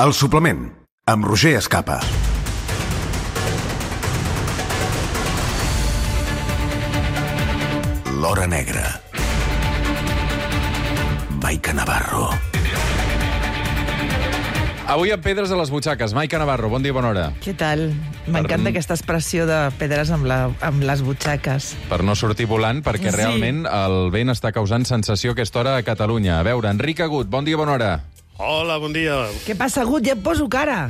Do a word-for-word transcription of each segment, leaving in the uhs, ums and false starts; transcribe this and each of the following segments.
El suplement, amb Roger Escapa. L'Hora Negra. Maica Navarro. Avui amb pedres a les butxaques. Maica Navarro, bon dia, bona hora. Què tal? M'encanta Per- aquesta expressió de pedres amb, la, amb les butxaques. Per no sortir volant, perquè Sí. realment el vent està causant sensació a aquesta hora a Catalunya. A veure, Enric Agut, bon dia, bona hora. Hola, bon dia. Què passa, Gut? Ja et poso cara.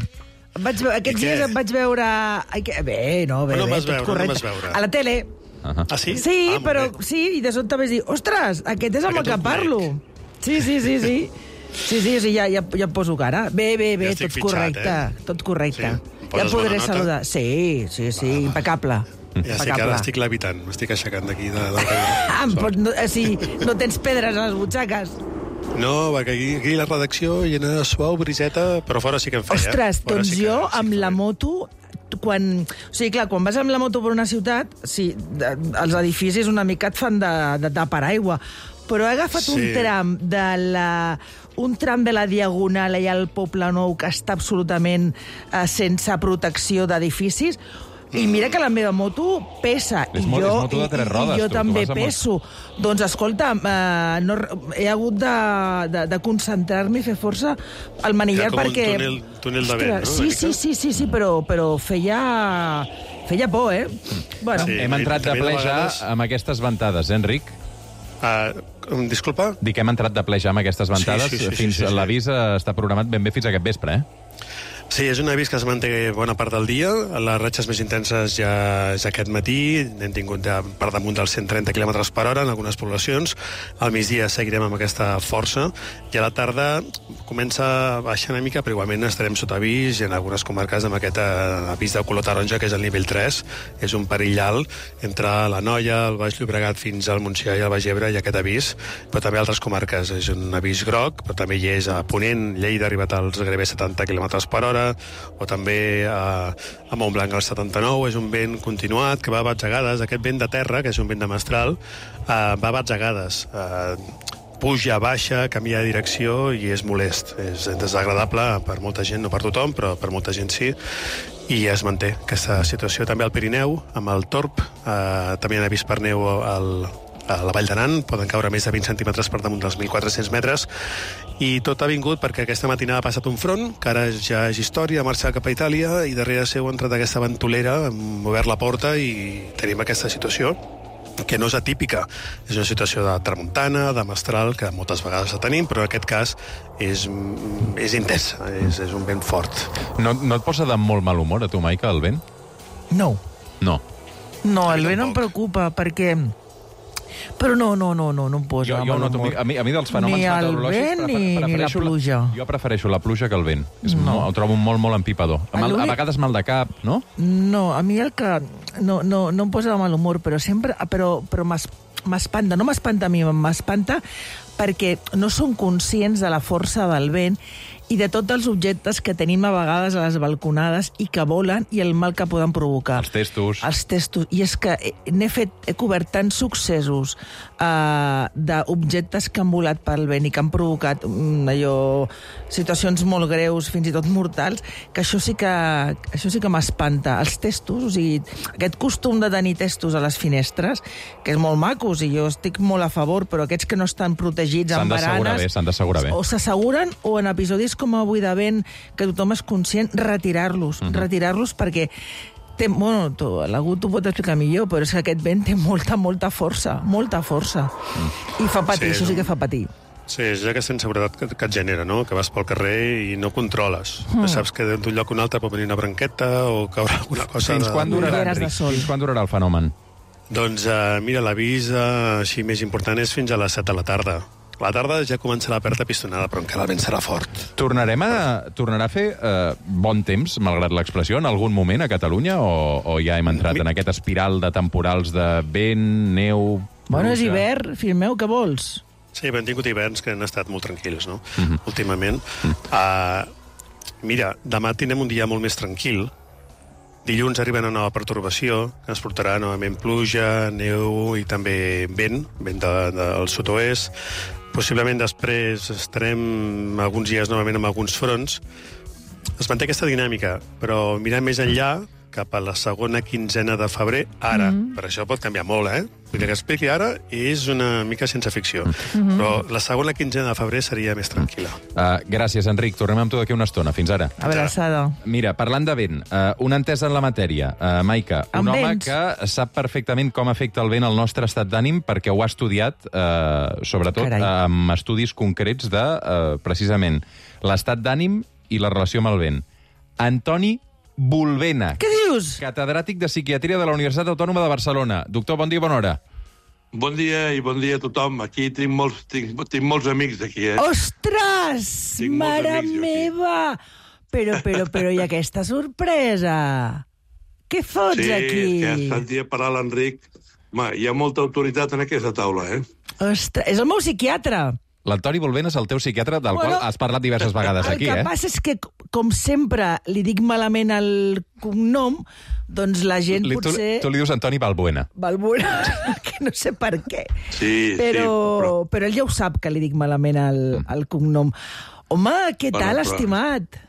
Em vaig, ve- aquests I què? dies em vaig veure... Ai, que... Bé, no, bé, On em bé, vas tot veure? On em correcte. vas veure? A la tele. Uh-huh. Ah, sí? Sí, ah, molt però bé. sí, i de sobte vaig dir, ostres, aquest és amb Aquest el que un parlo. Sí, sí, sí, sí. Sí, sí, sí, ja, ja, ja em poso cara. Bé, bé, bé, Ja estic tot fitxat, correcte, eh? tot correcte. Sí, em Ja poses podré bona nota? saludar. Sí, sí, sí, impecable. Ja sé que ara estic levitant, m'estic aixecant d'aquí de, de Ah, em pot, no, eh, sí, no tens pedres a les butxaques. No, perquè aquí, aquí la redacció llena de suau, briseta, però fora sí que em feia. Ostres, Fora doncs sí que- jo, sí amb que la feia. moto, quan... O sigui, clar, quan vas amb la moto per una ciutat, sí, de, els edificis una mica et fan de, de, de paraigua, però he agafat Sí. un tram de la... un tram de la Diagonal allà al Poble Nou que està absolutament eh, sense protecció d'edificis, i mira que la meva moto pesa. És I mo- jo, és moto de i- tres i- rodes, I jo tu, tu també vas amb moto. peso. Doncs escolta, eh, no, he hagut de, de, de concentrar-me i fer força al manillar Era com un perquè... túnel- túnel de vent, no, sí, una sí, mica? sí, sí, sí, però, però feia... feia por, eh? Bueno, Sí. Hem entrat de també de ple ja vegades- amb aquestes ventades, eh, Enric? Uh, disculpa? Dic que hem entrat de ple ja amb aquestes ventades. Sí, sí, sí, fins sí, sí, sí. L'avís eh, està programat ben bé fins aquest vespre, eh? Sí, és un avís que es manté bona part del dia. Les ratxes més intenses ja, ja aquest matí. N'hem tingut ja per damunt dels cent trenta quilòmetres per hora en algunes poblacions. Al migdia seguirem amb aquesta força. I a la tarda comença a baixar una mica, però igualment estarem sota avís i en algunes comarques amb aquest eh, avís de color taronja, que és el nivell tres. És un perill alt entre la Noia, el Baix Llobregat fins al Montsià i el Baix Ebre, i aquest avís, però també altres comarques. És un avís groc, però també hi és a Ponent, Lleida ha arribat als gairebé setanta quilòmetres per hora, o també a, a Montblanc al setanta-nou. És un vent continuat que va a batzegades. Aquest vent de terra, que és un vent de mestral, uh, va a batzegades. Uh, puja, baixa, canvia de direcció i és molest. És desagradable per molta gent, no per tothom, però per molta gent sí. I es manté aquesta situació també al Pirineu, amb el Torb. Uh, també hi ha avís per neu al, a la Vall d'Aran, poden caure més de vint centímetres per damunt dels mil quatre-cents metres, i tot ha vingut perquè aquesta matinada ha passat un front, que ara ja és història, ha marxat cap a Itàlia, i darrere seu ha entrat aquesta ventolera, hem obert la porta i tenim aquesta situació, que no és atípica. És una situació de tramuntana, de mestral, que moltes vegades la tenim, però en aquest cas és, és intensa, és, és un vent fort. No, no et posa de molt mal humor a tu, Maica, el vent? no. No. No, A mi el vent em tampoc. preocupa, perquè... Però no, no, no, no, no em posa Jo, jo mal noto, humor. a, mi, a mi dels fenòmens Ni el meteorològics vent prefer- ni, ni la prefereixo pluja. Jo prefereixo la pluja que el vent. És No. molt, ho trobo molt, molt empipador. A, mal, a L'únic- vegades mal de cap, no? No, a mi el que... No, no, no em posa de mal humor, però sempre... Però, però m'es- m'espanta. No m'espanta a mi, m'espanta perquè no som conscients de la força del vent i de tots els objectes que tenim a vegades a les balconades i que volen i el mal que poden provocar. Els testos. Els testos. I és que he- n'he fet, he cobert tants successos uh, d'objectes que han volat pel vent i que han provocat um, allò, situacions molt greus, fins i tot mortals, que això sí que, això sí que m'espanta. Els testos, o sigui, aquest costum de tenir testos a les finestres, que és molt macos i jo estic molt a favor, però aquests que no estan protegits S'han amb d'assegurar baranes... bé, s'han d'assegurar bé. O s'asseguren, o en episodis com avui de vent, que tothom és conscient, retirar-los, Mhm. retirar-los perquè té, bueno, tu, l'Agut t'ho pot explicar millor, però és que aquest vent té molta, molta força, molta força. I fa patir, Sí, això sí no? que fa patir. Sí, és aquesta inseguretat que, que et genera, no? Que vas pel carrer i no controles. Mm. Saps que d'un lloc a un altre pot venir una branqueta o caure alguna cosa... Fins de... quan durarà, Ulleres de Enric? sol. Fins quan durarà el fenomen? Doncs uh, mira, l'avís uh, així més important és fins a les set de la tarda. A la tarda ja començarà a perdre pistonada, però encara el vent serà fort. Tornarem a, tornarà a fer eh, bon temps, malgrat l'expressió, en algun moment a Catalunya, o, o ja hem entrat Mi- en aquest espiral de temporals de vent, neu... Bueno, és pluja? hivern, fill meu, què vols? Sí, però hem tingut hiverns que han estat molt tranquils, no? Mhm. Mm -hmm. Últimament. Mm. Uh, mira, demà tindrem un dia molt més tranquil. Dilluns arriba una nova pertorbació que ens portarà novament pluja, neu i també vent, vent de, del sud-oest. Possiblement després estarem alguns dies novament amb alguns fronts, es manté aquesta dinàmica, però mirant més enllà, cap a la segona quinzena de febrer, ara. Mm. Per això pot canviar molt, eh? El que expliqui ara és una mica sense ficció. Mm-hmm. Però la segona quinzena de febrer seria més tranquil·la. Uh, gràcies, Enric. Tornem amb tu d'aquí una estona. Fins ara. Abraçada. Mira, parlant de vent, uh, un entès en la matèria. Uh, Maica, un Amb home vents. que sap perfectament com afecta el vent al nostre estat d'ànim perquè ho ha estudiat, uh, sobretot Carai. amb estudis concrets de, uh, precisament, l'estat d'ànim i la relació amb el vent. Antoni Bulbena. Què dius? Catedràtic de Psiquiatria de la Universitat Autònoma de Barcelona. Doctor, bon dia i bona hora. Bon dia i bon dia a tothom. Aquí tinc molts, tinc, tinc molts amics aquí, eh? Ostres! Tinc molts Mare amics, jo, aquí. meva! Però, però, però, i aquesta sorpresa? Què fots sí, aquí? que has sentit parlar l'Enric. Home, hi ha molta autoritat en aquesta taula, eh? Ostres, és el meu psiquiatre. L'Antoni Bulbena és el teu psiquiatre, del Bueno, qual has parlat diverses vegades aquí, el que eh? passa és que, com sempre, li dic malament el cognom, doncs la gent Li, tu, potser... tu li dius Antoni Balbuena. Balbuena, que no sé per què. Sí, però, sí, però... però ell ja ho sap, que li dic malament el, el cognom. Home, què Bueno, tal, però- estimat?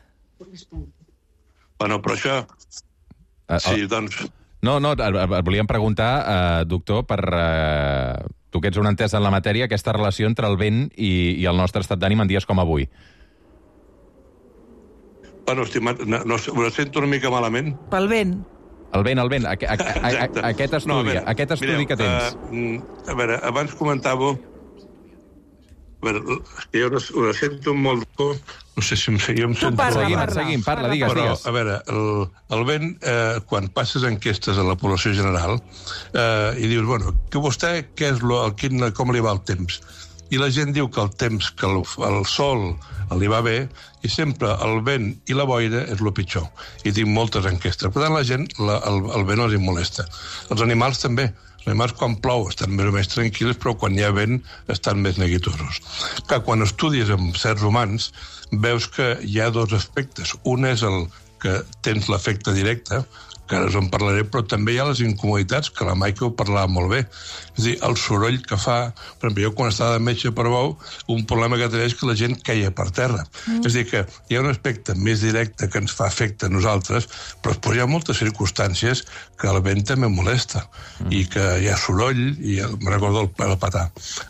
Bueno, però això... Uh, Sí, doncs... No, no, et, et volíem preguntar, uh, doctor, per... Uh, tu que ets un entès en la matèria, aquesta relació entre el vent i, i el nostre estat d'ànim en dies com avui. Bueno, estimat, no, no, ho sento una mica malament. Pel vent. El vent, el vent, a, a, a, a, a, aquest estudi, No, a veure, aquest estudi mireu, que tens. Uh, a veure, abans comentàveu... A veure, jo no, ho sento molt... No sé si em, jo em sento... parla, seguim, parla. seguim, parla, digues, Però, digues. a veure, el, el vent, eh, quan passes enquestes a la població general eh, i dius, bueno, que vostè, què és lo, el, quin, com li va el temps? I la gent diu que el temps, que el, el sol li va bé, i sempre el vent i la boira és el pitjor. I tinc moltes enquestes. Per tant, la gent, la, el, el vent els molesta. Els animals també. Els animals, quan plou, estan més o menys tranquils, però quan hi ha vent estan més neguitosos. Que quan estudies amb certs humans, veus que hi ha dos aspectes. Un és el que tens l'efecte directe, que ara us en parlaré, però també hi ha les incomoditats, que la Maica ho parlava molt bé. És a dir, el soroll que fa... Per exemple, jo quan estava de metge per bou, un problema que tenia és que la gent queia per terra. Mm. És a dir, que hi ha un aspecte més directe que ens fa efecte a nosaltres, però després hi ha moltes circumstàncies que el vent també molesta, mm. i que hi ha soroll, i me recordo el, el petar.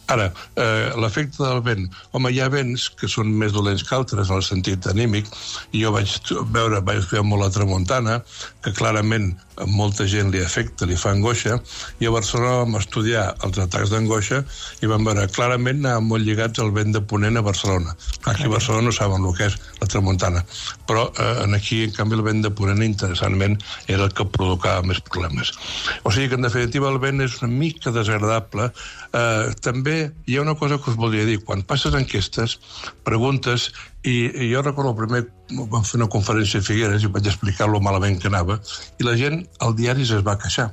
Ara, eh, l'efecte del vent... Home, hi ha vents que són més dolents que altres en el sentit anímic, i jo vaig veure, vaig estudiar molt la tramuntana, que clarament a molta gent li afecta, li fa angoixa, i a Barcelona vam estudiar els atacs d'angoixa i vam veure clarament anaven molt lligats al vent de ponent a Barcelona. Aquí a Barcelona no saben el que és la tramuntana, però eh, aquí, en canvi, el vent de ponent, interessantment, era el que provocava més problemes. O sigui que, en definitiva, el vent és una mica desagradable. Eh, també hi ha una cosa que us voldria dir. Quan passes enquestes, preguntes, i, i jo recordo el primer, vam fer una conferència a Figueres i vaig explicar-lo malament que anava, i la gent al diari es va queixar.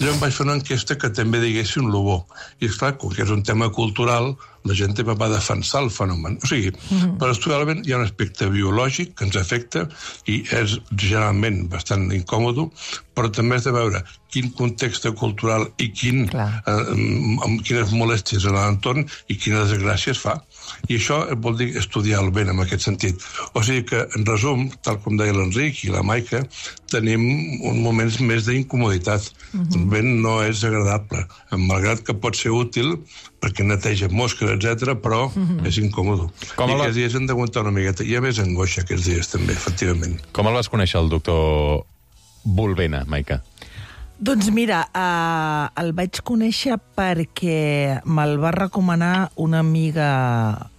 Jo em vaig fer una enquesta que també diguessin lo bo. I esclar, com que és un tema cultural, la gent també va defensar el fenomen. O sigui, mm-hmm. per estudiar el vent hi ha un aspecte biològic que ens afecta i és generalment bastant incòmodo, però també has de veure quin context cultural i quin, eh, amb quines molèsties en l'entorn i quines desgràcies fa. I això vol dir estudiar el vent en aquest sentit. O sigui que, en resum, tal com deia l'Enric i la Maica, tenim uns moments més d'incomoditat. Mm-hmm. El vent no és agradable, malgrat que pot ser útil perquè neteja mosques, etcètera, però mm-hmm. és incòmodo. Com I aquests la... dies hem d'aguantar una miqueta. Hi ha més angoixa aquests dies, també, efectivament. Com el vas conèixer, el doctor Bulbena, Maica? Doncs mira, uh, el vaig conèixer perquè me'l va recomanar una amiga,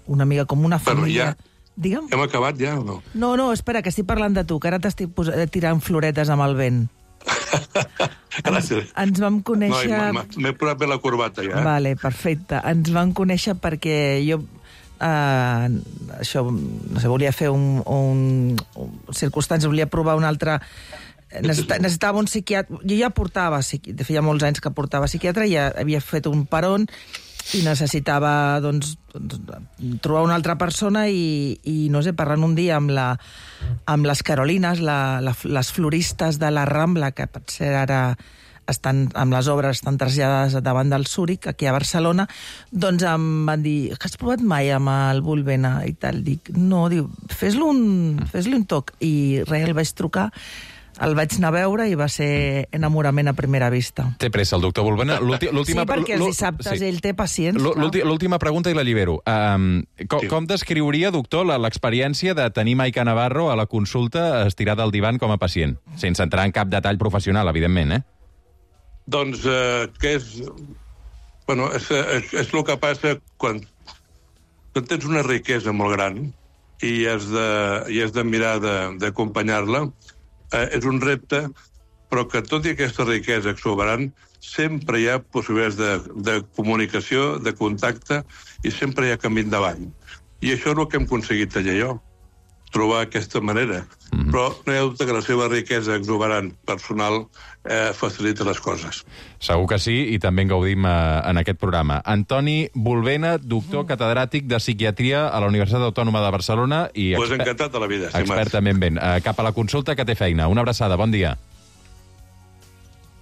una amiga com una família... Però ja... Digue'm. Hem acabat ja o no? No, no, espera, que estic parlant de tu, que ara t'estic pos... tirant floretes amb el vent. Gràcies. Ens, ens vam conèixer... No, m'he posat bé la corbata, ja. Vale, perfecte. Ens vam conèixer perquè jo... Uh, això, no sé, volia fer un... un, un circumstància, volia provar un altre... Necessitava, necessitava un psiquiatre... Jo ja portava, de feia molts anys que portava psiquiatre, ja havia fet un peron i necessitava, doncs, doncs trobar una altra persona i, i no sé, parlant un dia amb, la, amb les Carolines, la, la, les floristes de la Rambla, que potser ara estan, amb les obres estan traslladades davant del Zúrich, aquí a Barcelona, doncs em van dir, que has provat mai amb el Volvena i tal? Dic, no, diu, fes-li un, fes-li un toc. I res, el vaig trucar, el vaig anar a veure i va ser enamorament a primera vista. Té pressa el doctor Volvena. L'última... Sí, perquè els dissabtes ell té pacients. L'última pregunta i la llibero. Um, com, Sí. com descriuria, doctor, la- l'experiència de tenir Maica Navarro a la consulta estirada al divan com a pacient? Sense entrar en cap detall professional, evidentment, eh? Doncs eh, que és... Bueno, és, és, és el que passa quan, quan tens una riquesa molt gran i has de, i has de mirar de- d'acompanyar-la. Eh, és un repte, però que tot i aquesta riquesa exuberant, sempre hi ha possibilitats de, de comunicació, de contacte, i sempre hi ha camí endavant. I això és el que hem aconseguit allà jo, trobar aquesta manera. Mm-hmm. Però no hi ha dubte que la seva riquesa exuberant personal eh, facilita les coses. Segur que sí, i també en gaudim eh, en aquest programa. Antoni Volvena, doctor catedràtic de psiquiatria a la Universitat Autònoma de Barcelona i Pues exper- encantat de la vida, estimat. expertament ben. Eh, cap a la consulta, que té feina. Una abraçada, bon dia.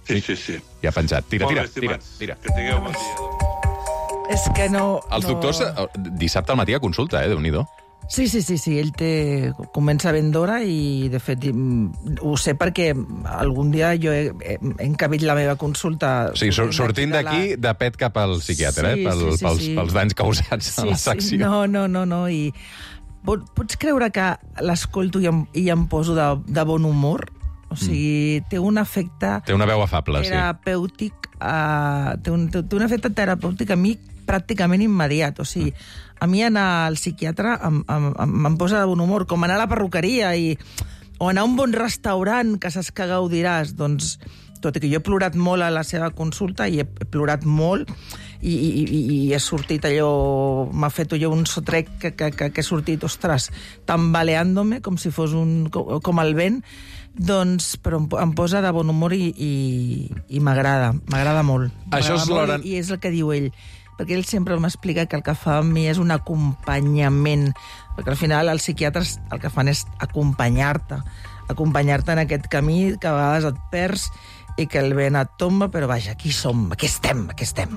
Sí, sí, sí. Ja ha penjat. Tira, Molt tira, bé, tira, estimats. tira. Que tingueu bon dia. És que no... Els no... doctors, eh, dissabte al matí a consulta, eh? Déu-n'hi-do. Sí, sí, sí, sí, ell té... comença ben d'hora i, de fet, mm, ho sé perquè algun dia jo he, he, he encabit la meva consulta... O sigui, sur- sortint de la- d'aquí, de pet cap al psiquiatre, Sí, eh? Pel, sí, sí, pels, sí. pels danys causats a la secció. Sí, no, no, no, no, i pot, pots creure que l'escolto i, em, i em poso de, de bon humor? O sigui, mm. té un efecte Té una veu afable, sí. terapèutic, uh, té, un, té, té un efecte terapèutic a mi pràcticament immediat. O sigui, a mi anar al psiquiatre em, em, em, em posa de bon humor, com anar a la perruqueria i, o anar a un bon restaurant que saps que gaudiràs. Doncs, tot i que jo he plorat molt a la seva consulta i he plorat molt i, i, i, i he sortit allò, m'ha fet allò un sotrec que, que, que, que he sortit, ostres, tambaleant-me com si fos un, com, com el vent, doncs, però em, em posa de bon humor i, i, i m'agrada, m'agrada molt. Això és M'agrada l'hora- molt, I és el que diu ell, perquè ell sempre m'explica que el que fa amb mi és un acompanyament, perquè al final els psiquiatres el que fan és acompanyar-te, acompanyar-te en aquest camí que a vegades et perds i que el vent et tomba, però vaja, aquí som, aquí estem, aquí estem.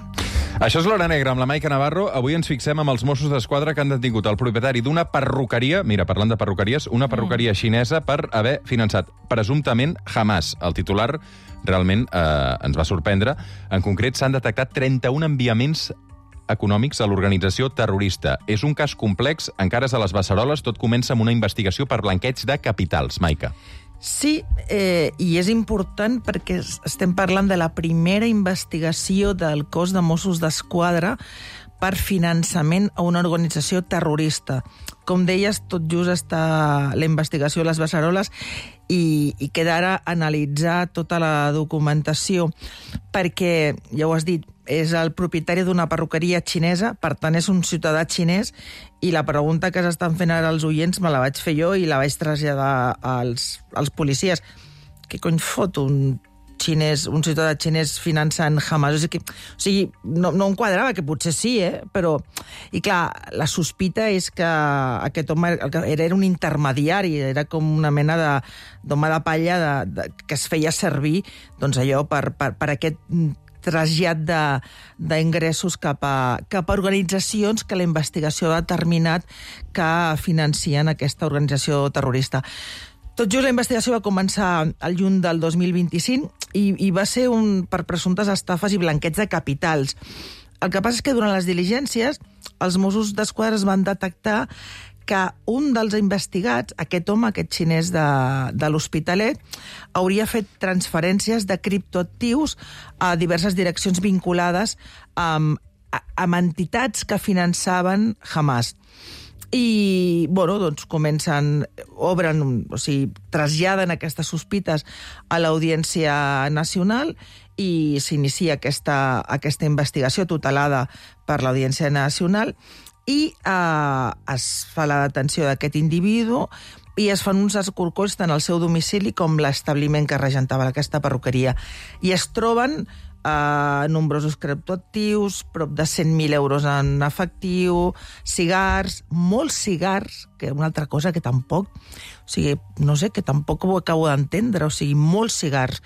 Això és l'Hora Negra amb la Maica Navarro. Avui ens fixem amb els Mossos d'Esquadra que han detingut el propietari d'una perruqueria, mira, parlant de perruqueries, una perruqueria xinesa per haver finançat presumptament Hamas. El titular realment eh, ens va sorprendre. En concret, s'han detectat trenta-un enviaments econòmics a l'organització terrorista. És un cas complex, encara és a les beceroles, tot comença amb una investigació per blanqueig de capitals. Maica. Sí, eh, i és important perquè es- estem parlant de la primera investigació del cos de Mossos d'Esquadra per finançament a una organització terrorista. Com deies, tot just està la investigació a les beceroles i, i queda ara analitzar tota la documentació perquè, ja ho has dit, és el propietari d'una perruqueria xinesa, per tant és un ciutadà xinès, i la pregunta que s'estan fent ara els oients me la vaig fer jo i la vaig traslladar als, als policies. Què cony fot un xinès, un ciutadà xinès finançant Hamas? O sigui, o sigui no, no em quadrava, que potser sí, eh? Però... I clar, la sospita és que aquest home era, era un intermediari, era com una mena de, d'home de palla de, de, que es feia servir, doncs allò, per, per, per aquest trasllat d'ingressos cap a, cap a organitzacions que la investigació ha determinat que financien aquesta organització terrorista. Tot just la investigació va començar al juny del dos mil vint-i-cinc i, i va ser un, per presumptes estafes i blanqueig de capitals. El que passa és que durant les diligències els Mossos d'Esquadra es van detectar que un dels investigats, aquest home, aquest xinès de, de l'Hospitalet, hauria fet transferències de criptoactius a diverses direccions vinculades amb, amb entitats que finançaven Hamas. I, bueno, doncs comencen, obren, o sigui, traslladen aquestes sospites a l'Audiència Nacional i s'inicia aquesta, aquesta investigació tutelada per l'Audiència Nacional i eh, es fa la detenció d'aquest individu i es fan uns escorcolls tant al seu domicili com l'establiment que regentava aquesta perruqueria. I es troben eh, nombrosos criptoactius, prop de cent mil euros en efectiu, cigars, molts cigars, que una altra cosa que tampoc, o sigui, no sé, que tampoc ho acabo d'entendre, o sigui, molts cigars,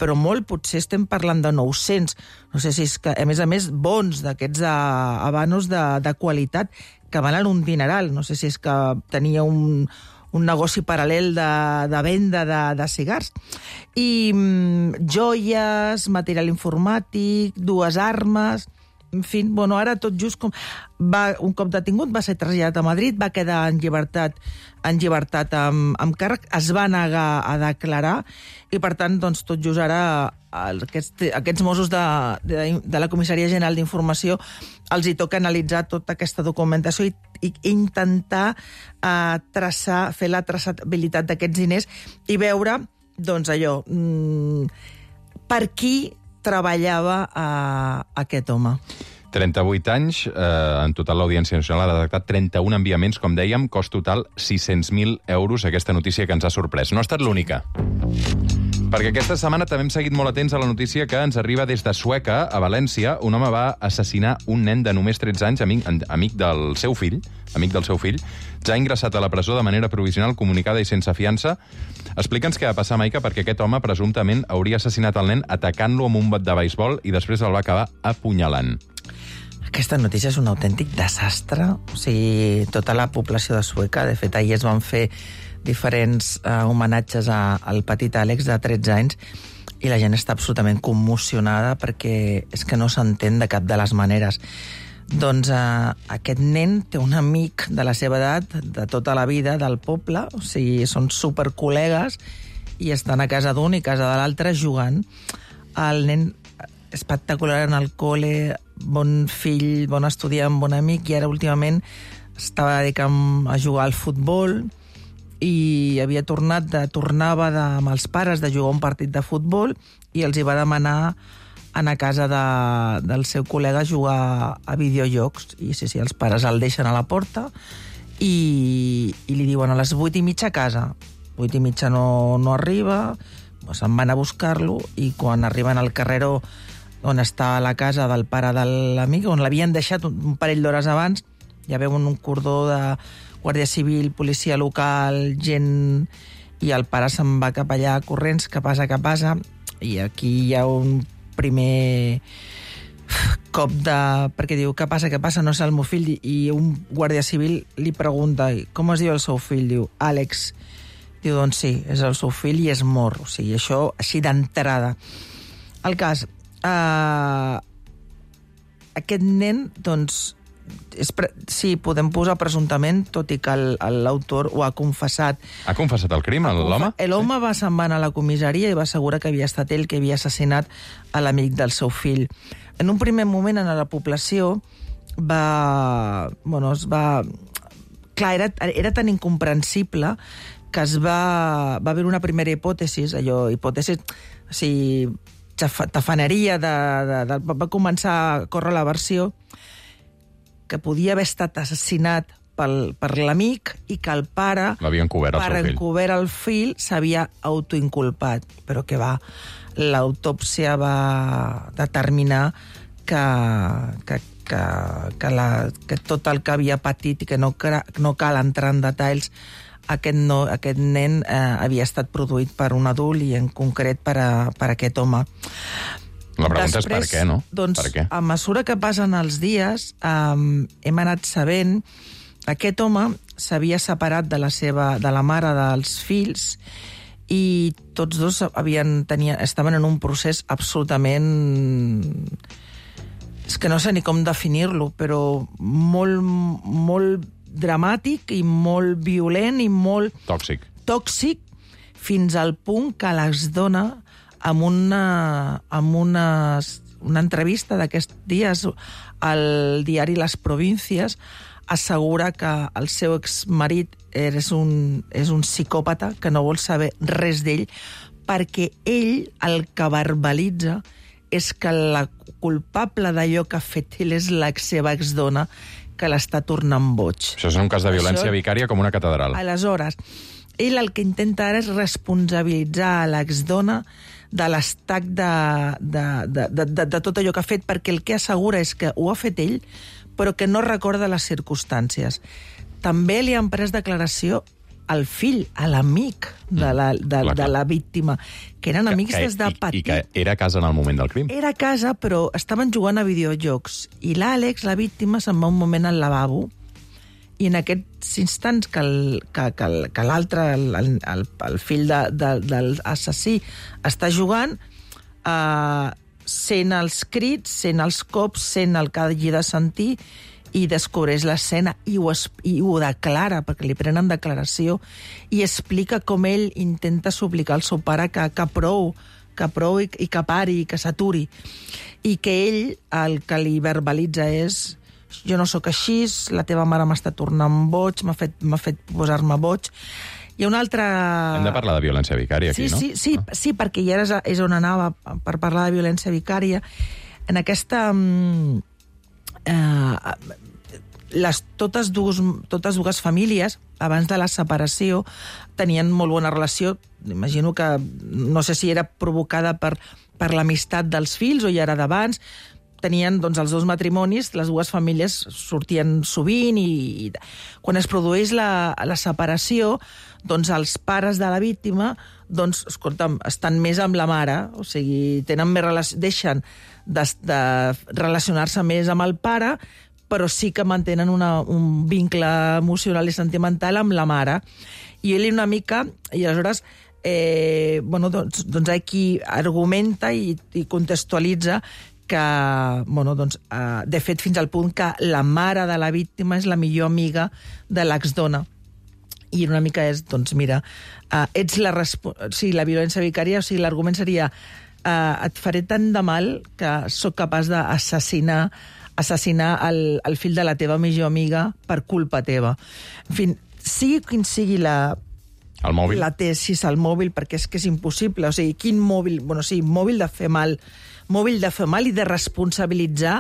però molt, potser estem parlant de nou-cents, no sé si és que, a més a més, bons d'aquests habanos de, de qualitat, que valen un dineral, no sé si és que tenia un... un negoci paral·lel de, de venda de, de cigars. I mm, joies, material informàtic, dues armes... En fi, bueno, ara tot just com... Va, un cop detingut va ser traslladat a Madrid, va quedar en llibertat, en llibertat amb, amb càrrec, es va negar a declarar i, per tant, doncs, tot just ara aquests, aquests Mossos de, de, de la Comissaria General d'Informació els hi toca analitzar tota aquesta documentació i, i intentar eh, traçar, fer la traçabilitat d'aquests diners i veure, doncs, allò, mmm, per qui treballava eh, aquest home. trenta-vuit anys, eh, en total l'Audiència Nacional ha detectat trenta-un enviaments, com dèiem, cost total sis-cents mil euros, aquesta notícia que ens ha sorprès. No ha estat l'única. Perquè aquesta setmana també hem seguit molt atents a la notícia que ens arriba des de Sueca, a València. Un home va assassinar un nen de només tretze anys, amic, amic del seu fill, amic del seu fill, ja ingressat a la presó de manera provisional, comunicada i sense fiança. Explica'ns què va passar, Maica, perquè aquest home presumptament hauria assassinat el nen atacant-lo amb un bat de beisbol i després el va acabar apunyalant. Aquesta notícia és un autèntic desastre. O sigui, tota la població de Sueca, de fet, ahir es van fer diferents eh, homenatges a, al petit Àlex de tretze anys i la gent està absolutament commocionada perquè és que no s'entén de cap de les maneres. Doncs eh, aquest nen té un amic de la seva edat, de tota la vida, del poble, o sigui, són supercol·legues i estan a casa d'un i a casa de l'altre jugant. El nen espectacular en el col·le, bon fill, bon estudiant, bon amic, i ara últimament estava dedicant a jugar al futbol i havia tornat de, tornava de, amb els pares de jugar un partit de futbol i els hi va demanar anar a casa de, del seu col·lega a jugar a videojocs. I sí, sí, els pares el deixen a la porta i, i li diuen a les vuit i mitja a casa. Vuit i mitja no, no arriba, doncs se'n van a buscar-lo i quan arriben al carreró on està la casa del pare de l'amic, on l'havien deixat un, un parell d'hores abans, ja veuen un cordó de Guàrdia Civil, policia local, gent... I el pare se'n va cap allà corrents, que passa, que passa, i aquí hi ha un primer cop de... perquè diu, què passa, què passa, no és el meu fill, i un guàrdia civil li pregunta, com es diu el seu fill? Diu, Àlex. Diu, doncs sí, és el seu fill i és mort. O sigui, això així d'entrada. El cas, eh, aquest nen, doncs, és pre... sí, podem posar presumptament, tot i que l'autor ho ha confessat. Ha confessat el crim, l'home? L'home sí. va se'n va anar a la comissaria i va assegurar que havia estat ell que havia assassinat a l'amic del seu fill. En un primer moment, en la població, va... Bueno, es va... Clar, era, era tan incomprensible que es va... Va haver una primera hipòtesi, allò, hipòtesi... O sigui, tafaneria, de, de, de, va començar a córrer la versió que podia haver estat assassinat pel, per l'amic i que el pare, l'havia encobert el per seu fill. encobert el fill, s'havia autoinculpat. Però que va, l'autòpsia va determinar que, que, que, que, la, que tot el que havia patit i que no, no cal entrar en detalls, aquest, no, aquest nen eh, havia estat produït per un adult i en concret per, a, per aquest home. La pregunta Després, és per què, no? Doncs, per què? a mesura que passen els dies, um, hem anat sabent que aquest home s'havia separat de la seva, de la mare dels fills i tots dos havien, tenien, estaven en un procés absolutament... És que no sé ni com definir-lo, però molt, molt dramàtic i molt violent i molt... Tòxic. Tòxic, fins al punt que les dona amb una, amb una, una entrevista d'aquests dies al diari Les Provincias, assegura que el seu exmarit és un, és un psicòpata que no vol saber res d'ell perquè ell el que verbalitza és que la culpable d'allò que ha fet ell és la seva exdona que l'està tornant boig. Això és un cas de violència Això... vicària com una catedral. Aleshores, ell el que intenta ara és responsabilitzar a l'exdona de l'estac de, de, de, de, de, de tot allò que ha fet, perquè el que assegura és que ho ha fet ell, però que no recorda les circumstàncies. També li han pres declaració al fill, a l'amic de la, de, Clar, clar. de la víctima, que eren amics que, des de i, petit. I que era a casa en el moment del crim. Era a casa, però estaven jugant a videojocs. I l'Àlex, la víctima, se'n va un moment al lavabo i en aquests instants que, el, que, que, el, que l'altre, el, el, el fill de, de, de l'assassí, està jugant, eh, sent els crits, sent els cops, sent el que hagi de sentir i descobreix l'escena i, ho es, i ho declara, perquè li prenen declaració, i explica com ell intenta suplicar al seu pare que, que prou, que prou i, i que pari, i que s'aturi. I que ell el que li verbalitza és jo no sóc així, la teva mare m'està tornant boig, m'ha fet, m'ha fet posar-me boig. Hi ha una altra... Hem de parlar de violència vicària aquí, sí, no? Sí, sí, ah. sí, perquè ja és, és on anava per parlar de violència vicària. En aquesta... Eh, les, totes, dues, totes dues famílies, abans de la separació, tenien molt bona relació. Imagino que, no sé si era provocada per, per l'amistat dels fills o ja era d'abans. Tenien doncs, els dos matrimonis, les dues famílies sortien sovint i, i quan es produeix la, la separació, doncs els pares de la víctima doncs, escolta'm, estan més amb la mare, o sigui, tenen més relació, deixen de, de relacionar-se més amb el pare, però sí que mantenen una, un vincle emocional i sentimental amb la mare. I ell una mica, i aleshores, eh, bueno, doncs, doncs aquí argumenta i, i contextualitza que, bueno, doncs, eh, de fet, fins al punt que la mare de la víctima és la millor amiga de l'exdona. I una mica és, doncs, mira, eh, ets la, respo- o sigui, la violència vicària, o sigui, l'argument seria eh, et faré tant de mal que sóc capaç d'assassinar assassinar el, el fill de la teva millor amiga per culpa teva. En fi, sigui quin sigui la... El mòbil? La tesis al mòbil, perquè és que és impossible. O sigui, quin mòbil... Bueno, sí, mòbil de fer mal... mòbil de fer mal i de responsabilitzar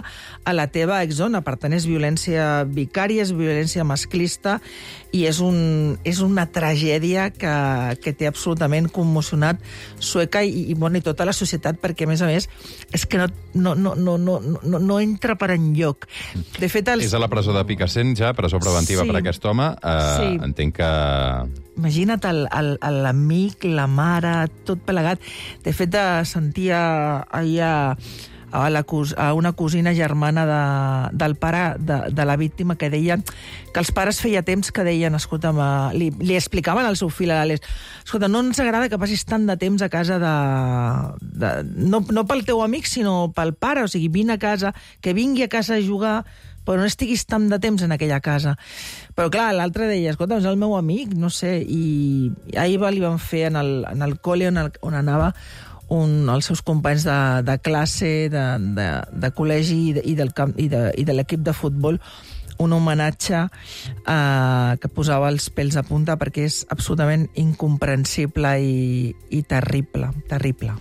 a la teva exdona. Per tant, és violència vicària, és violència masclista i és, un, és una tragèdia que, que té absolutament commocionat Sueca i, i, bueno, i tota la societat, perquè, a més a més, és que no, no, no, no, no, no, no entra per enlloc. De fet, els... És a la presó de Picassent, ja, presó preventiva Sí. per aquest home. Uh, Sí. Entenc que... Imagina't el- el- l'amic, la mare, tot plegat. De fet, eh, sentia ahir a, a, la, cos- a una cosina germana de, del pare de, de la víctima que deia que els pares feia temps que deien, escolta'm, eh, li, li explicaven al seu fill, a l'Àlex, escolta, no ens agrada que passis tant de temps a casa de... de no, no pel teu amic, sinó pel pare, o sigui, vine a casa, que vingui a casa a jugar, però no estiguis tant de temps en aquella casa. Però clar, l'altre deia, escolta, és el meu amic, no sé, i ahir li van fer en el, en el col·le on, el, on anava un, els seus companys de, de classe, de, de, de col·legi i de, i del camp, i de, i de l'equip de futbol, un homenatge eh, que posava els pèls a punta perquè és absolutament incomprensible i, i terrible, terrible.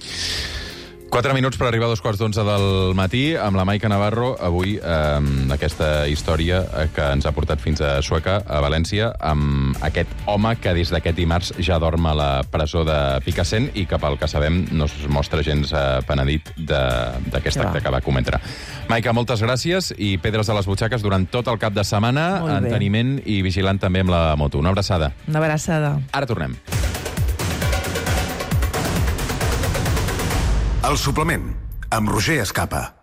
Quatre minuts per arribar a dos quarts d'onze del matí amb la Maica Navarro. Avui, eh, aquesta història que ens ha portat fins a Sueca, a València, amb aquest home que des d'aquest dimarts ja dorm a la presó de Picassent i que, pel que sabem, no es mostra gens eh, penedit d'aquest Ja. acte que va cometre. Maica, moltes gràcies i pedres a les butxaques durant tot el cap de setmana, Molt bé. enteniment i vigilant també amb la moto. Una abraçada. Una abraçada. Ara tornem. El suplement, amb Roger Escapa.